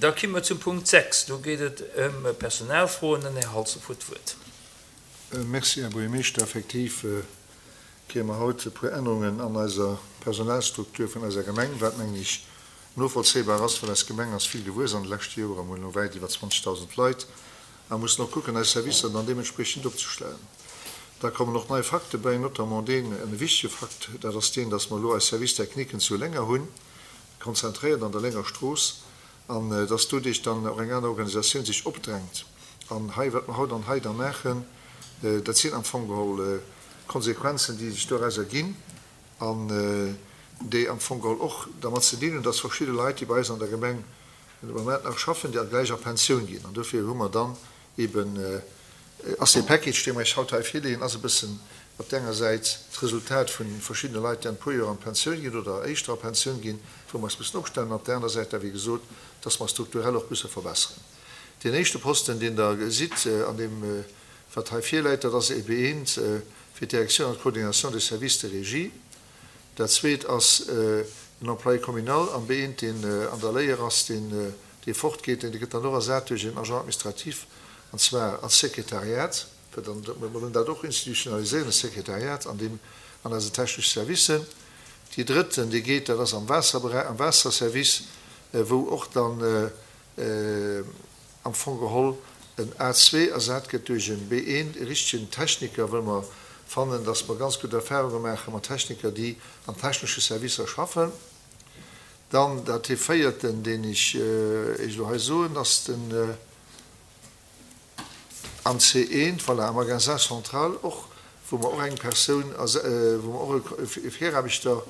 Da komme mer zum Punkt 6. Do geet et ëm Personalfroen. Den Här Halsdorf huet d'Wuert. Merci, Här Buergermeeschter. Effektiv kréie mer haut e puer Ännerungen an eiser Personalstruktur vun eiser Gemeng, wat, mengen ech, novollzéibar ass, well eis Gemeng ass vill gewuess an de leschte Joren, mir hunn elo wäit iwwer 20.000 Leit a mussen och kucken, eis Servicer dann deementspriechend opzestellen. Da kommen och nei Fakte bäi, notamment deen, en wichtege Fakt, dat ass deen, dass mer elo eis Service techniquen zu Lénger hunn, konzentréiert an der Lénger Strooss, an dass doduerch dann och eng aner Organisatioun sech opdrängt. An hei, wat mer haut an hei da maachen, dat sinn am Fong geholl Konsequenzen, déi sech doraus erginn an déi am Fong geholl och dermat ze dinn hunn, dass verschidde Leit, déi bei eis an der Gemeng de Moment nach schaffen, déi gläich a Pensioun ginn. An dofir hu mer dann eben, ass dee Package, dee mer Iech haut hei virleeën, ass e bëssen op där enger Säit d'Resultat vu verschiddene Leit, déi an e puer Joer an d'Pensioun ginn oder éischter a Pensioun ginn, wou mer eis mussen opstellen, an op där aner Säit da wéi gesot, dass mer strukturell och musse verbesseren. Deen éischte Posten, deen Der gesitt an deem, wat hei virläit, dat ass ebe eent fir d'Direction an d'Coordination des services de régie. Dat zweet ass en Employé communal am B1, deen an der Léier ass, deen dee fortgeet. Dee gëtt dann och ersat duerch en Agent administratif, an zwar als Sekretariat, well dann, mir wëllen dat och institutionaliséieren, e Sekretariat an deem, an eisen technesche Servicen. Dee drëtten, dee geet, dat ass am Waasserberäich, am Waasserservice, wou och dann am Fong geholl en A2 ersat gëtt duerch en B1, e richtegen Techniker, wëll mer fannen, dass mer ganz gutt Erfahrunge maache mat Techniker, déi an technesche Servicer schaffen. Dann dat dee véierten, deen ech Iech elo hei soen, ass den am C1, voilà, am Magasin central och, wou mer och eng Persoun, wou mer och e Viraarbechter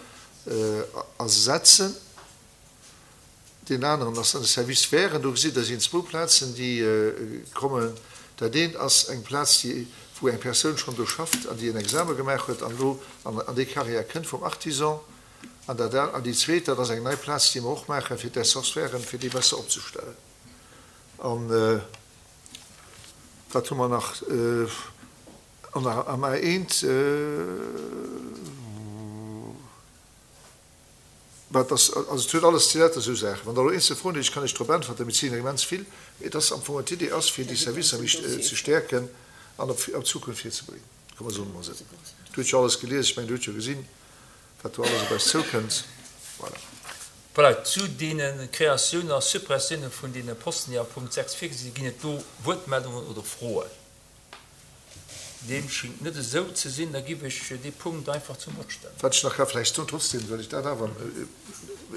ersetzen. Deen aneren ass dann de Service Wären. Do gesitt Der sinn zwou Plazen, déi kommen. Dat eent ass eng Plaz, déi, wou eng Persoun schonn do schafft an déi en Exame gemaach huet an elo an déi Carrière kënnt vum Artisan. An dat an déi zweet, dat ass eng nei Plaz, déi mer och maachen, fir d'Essources fir déi besser opzestellen. An wat hu mer nach? An am A1. Wat ass, also et huet alles ze lauter esou Saachen. Wann Der elo eenzel Froen hutt, ech kann Iech drop äntwerten, mee et sinn immens vill. Mee et ass am Fong, d'Idee ass, fir déi Servicer méi ze stäerken an op d'Zukunft virzebreeden. Komm mer soen et emol esou. Dir hutt jo alles gelies, ech mengen, Dir hutt jo gesinn, wat do alles op eis zoukënnt. Voilà. Voilà, zu deene Kreatiounen a Suppressioune vun deene Posten, déi a Punkt 6 virgesi sinn, ginn et do Wuertmeldungen oder Froen? Deem schingt net esou ze sinn. Da giff ech dee Punkt einfach zum Vott stellen. Wat ech nach ka vläicht soen, trotzdem well ech dat awer,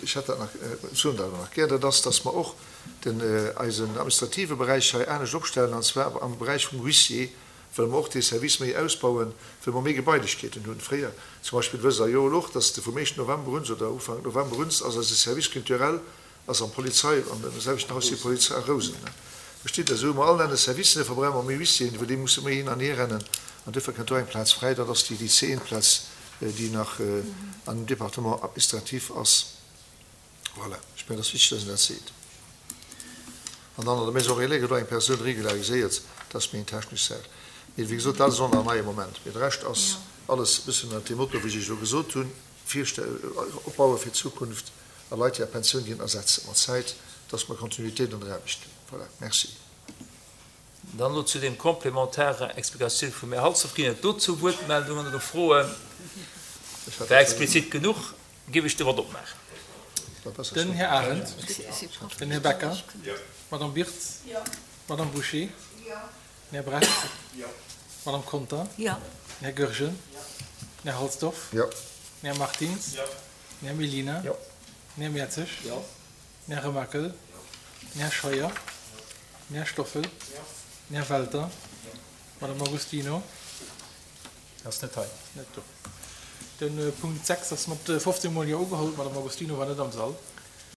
ech hätt dat nach, soen dat awer nach gär, dat ass, dass mer och den, eisen administrative Beräich hei anescht opstellen, an zwar am Beräich vum Huissier wëlle mer och dee Service méi ausbauen, well mer méi Gebailechkeeten hunn. Fréier zum Beispill wësst Der jo elo och, dass de vum éischten November un oder Ufank November un ass eise Service culturel Ass am Polizei, an dem selwechten Haus wéi Polizei a Rousen. Versteet Der? Esou hu mer all aner Servicen, dofir brauche mer méi Huissieren, well déi musse méi hin an hier rennen. An duerfir kënnt do eng Plaz fräi, dat ass déi déi C1-Plaz, déi nach an dem Département administratif ass. Voilà, ech mengen, et ass wichteg, dass een dat seet. An dann an der Maison relais gëtt och eng Persoun regulariséiert, dat ass méi eng technesch Saach. Mee wéi gesot, dat ass och nach en neie Moment. Mee de Rescht ass alles e bëssen ënnert deem Motto, wéi ech Iech elo gesot hunn, Opbaue fir d'Zukunft. a Leit, déi a Pensioun ginn, ersetzen mat Zäit, dass mer Kontinuitéit an der Aarbecht hunn. Voilà, merci. Dann elo zu deem complémentaire Explikatioun vum Här Halsdorf. Ginn et dozou Wuertmeldungen oder Froen? War explizit genuch. Géif ech de Vott opmaachen. Den Här Arendt, den Här Becker, d'Madame Birtz, d'Madame Bouché, den Här Brecht, d'Madame Conter, den Här Goergen, den Här Halsdorf, den Här Martins, Den Här Mellina. Jo. Den Här Mertzig. Jo. Den Här Remakel. Jo. Den Här Scheuer. Den Här Stoffel. Jo. Den Här Welter. Jo. D'Madame Agostino. Ass net hei. Net do. De Punkt 6 ass mat 15 mol Jo ugeholl. D'Madame Agostino war net am Sall.